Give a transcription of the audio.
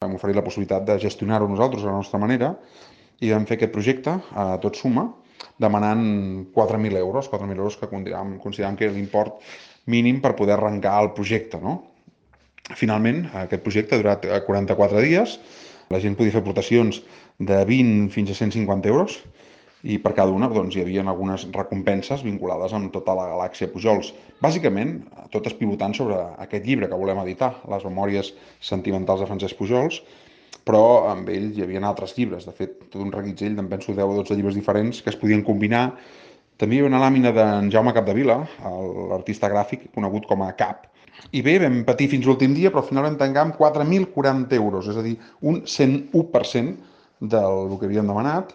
Vam oferir la possibilitat de gestionar-ho nosaltres a la nostra manera i vam fer aquest projecte a tot suma demanant 4.000 euros, 4.000 euros que consideràvem que era l'import mínim per poder arrencar el projecte, no? Finalment, aquest projecte ha durat 44 dies, la gent podia fer aportacions de 20 fins a 150 euros i per cada una doncs, hi havia algunes recompenses vinculades amb tota la galàxia Pujols. Bàsicament, totes pivotant sobre aquest llibre que volem editar, les memòries sentimentals de Francesc Pujols, però amb ell hi havia altres llibres, de fet, tot un reguitzell, em penso 10 o 12 llibres diferents que es podien combinar. També hi havia una làmina d'en Jaume Capdevila, l'artista gràfic conegut com a Cap. I bé, vam patir fins l'últim dia, però al final vam tancar amb 4.040 euros, és a dir, un 101% del que havíem demanat.